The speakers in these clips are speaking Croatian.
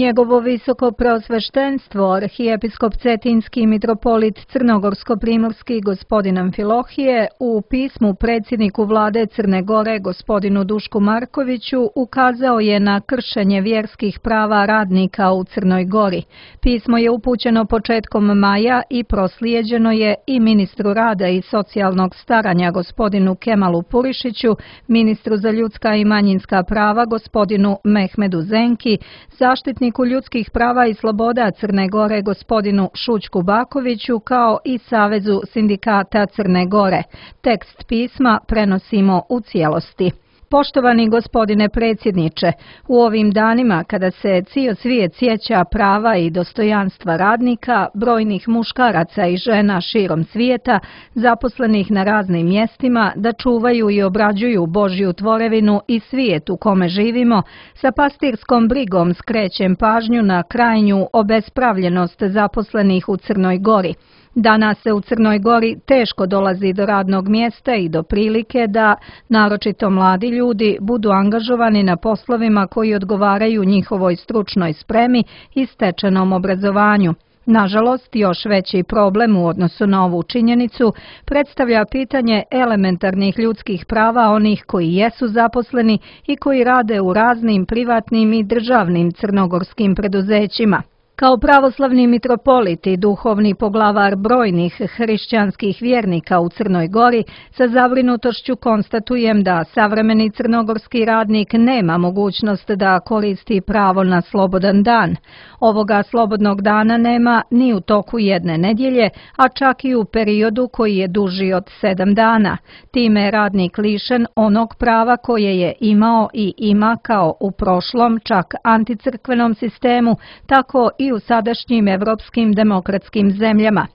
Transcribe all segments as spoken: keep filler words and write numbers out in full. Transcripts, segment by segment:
Njegovo visoko preosveštenstvo, arhijepiskop Cetinski mitropolit Crnogorsko-primorski gospodin Amfilohije, u pismu predsjedniku vlade Crne Gore gospodinu Dušku Markoviću ukazao je na kršenje vjerskih prava radnika u Crnoj Gori. Pismo je upućeno početkom maja i proslijeđeno je i ministru rada i socijalnog staranja gospodinu Kemalu Purišiću, ministru za ljudska i manjinska prava gospodinu Mehmedu Zenki, zaštitniku ljudskih prava i sloboda Crne Gore gospodinu Šućku Bakoviću kao i Savezu sindikata Crne Gore. Tekst pisma prenosimo u cijelosti. Poštovani gospodine predsjedniče, u ovim danima kada se cijel svijet sjeća prava i dostojanstva radnika, brojnih muškaraca i žena širom svijeta, zaposlenih na raznim mjestima, da čuvaju i obrađuju Božju tvorevinu i svijet u kome živimo, sa pastirskom brigom skrećem pažnju na krajnju obespravljenost zaposlenih u Crnoj Gori. Danas se u Crnoj Gori teško dolazi do radnog mjesta i do prilike da, naročito mladi ljudi, budu angažovani na poslovima koji odgovaraju njihovoj stručnoj spremi i stečenom obrazovanju. Nažalost, još veći problem u odnosu na ovu činjenicu predstavlja pitanje elementarnih ljudskih prava onih koji jesu zaposleni i koji rade u raznim privatnim i državnim crnogorskim preduzećima. Kao pravoslavni mitropolit i duhovni poglavar brojnih hrišćanskih vjernika u Crnoj Gori, sa zabrinutošću konstatujem da savremeni crnogorski radnik nema mogućnost da koristi pravo na slobodan dan. Ovoga slobodnog dana nema ni u toku jedne nedjelje, a čak i u periodu koji je duži od sedam dana. Time je radnik lišen onog prava koje je imao i ima kao u prošlom, čak anticrkvenom sistemu, tako i u sadašnjim evropskim demokratskim zemljama.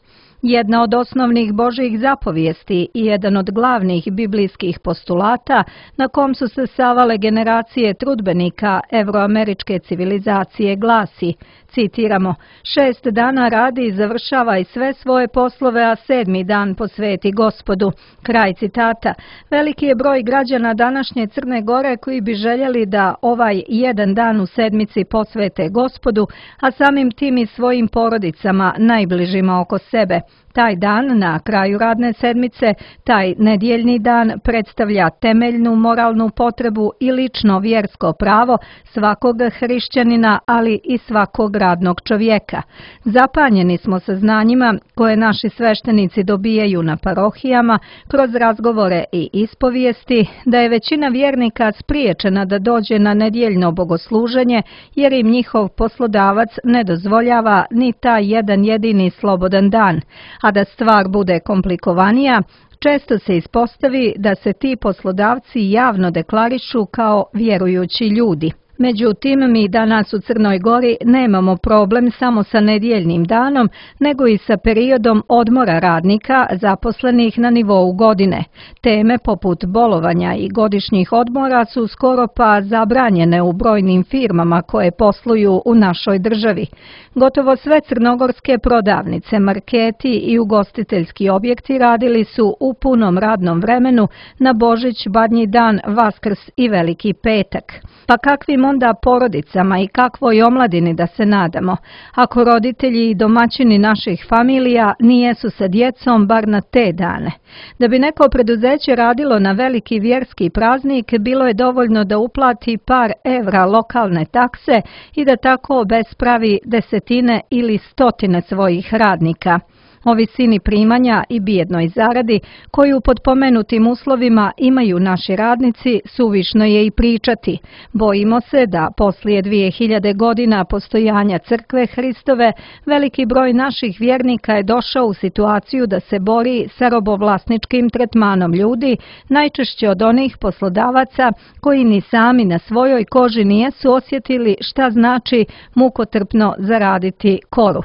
Jedna od osnovnih Božjih zapovijesti i jedan od glavnih biblijskih postulata na kom su se savale generacije trudbenika evroameričke civilizacije glasi, citiramo, šest dana radi i završava i sve svoje poslove, a sedmi dan posveti Gospodu. Kraj citata. Veliki je broj građana današnje Crne Gore koji bi željeli da ovaj jedan dan u sedmici posvete Gospodu, a samim tim i svojim porodicama najbližima oko sebe. Taj dan na kraju radne sedmice, taj nedjeljni dan predstavlja temeljnu moralnu potrebu i lično vjersko pravo svakog hrišćanina, ali i svakog radnog čovjeka. Zapanjeni smo saznanjima koje naši sveštenici dobijaju na parohijama kroz razgovore i ispovijesti da je većina vjernika spriječena da dođe na nedjeljno bogosluženje jer im njihov poslodavac ne dozvoljava ni taj jedan jedini slobodan dan. A da stvar bude komplikovanija, često se ispostavi da se ti poslodavci javno deklarišu kao vjerujući ljudi. Međutim, mi danas u Crnoj Gori nemamo problem samo sa nedjeljnim danom, nego i sa periodom odmora radnika zaposlenih na nivou godine. Teme poput bolovanja i godišnjih odmora su skoro pa zabranjene u brojnim firmama koje posluju u našoj državi. Gotovo sve crnogorske prodavnice, marketi i ugostiteljski objekti radili su u punom radnom vremenu na Božić, Badnji dan, Vaskrs i Veliki petak. Pa kakvim onda porodicama i kakvoj omladini da se nadamo, ako roditelji i domaćini naših familija nijesu sa djecom bar na te dane. Da bi neko preduzeće radilo na veliki vjerski praznik, bilo je dovoljno da uplati par evra lokalne takse i da tako obespravi desetine ili stotine svojih radnika. O visini primanja i bijednoj zaradi koju pod pomenutim uslovima imaju naši radnici suvišno je i pričati. Bojimo se da poslije dvije hiljade godina postojanja Crkve Hristove veliki broj naših vjernika je došao u situaciju da se bori sa robovlasničkim tretmanom ljudi, najčešće od onih poslodavaca koji ni sami na svojoj koži nijesu osjetili šta znači mukotrpno zaraditi koru.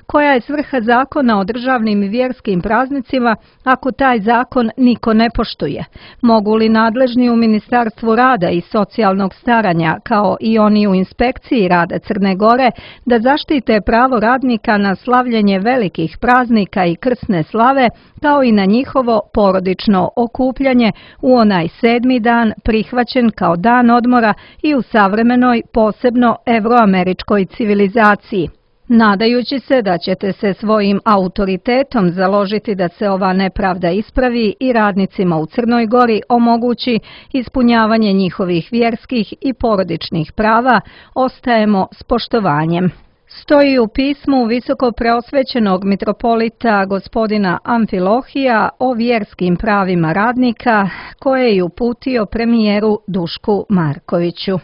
Koja je svrha zakona o državnim i vjerskim praznicima ako taj zakon niko ne poštuje? Mogu li nadležni u Ministarstvu rada i socijalnog staranja, kao i oni u inspekciji rada Crne Gore, da zaštite pravo radnika na slavljenje velikih praznika i krsne slave, kao i na njihovo porodično okupljanje u onaj sedmi dan prihvaćen kao dan odmora i u savremenoj, posebno evroameričkoj civilizaciji? Nadajući se da ćete se svojim autoritetom založiti da se ova nepravda ispravi i radnicima u Crnoj Gori omogući ispunjavanje njihovih vjerskih i porodičnih prava, ostajemo s poštovanjem. Stoji u pismu visokopreosvećenog mitropolita gospodina Amfilohija o vjerskim pravima radnika koje je uputio premijeru Dušku Markoviću.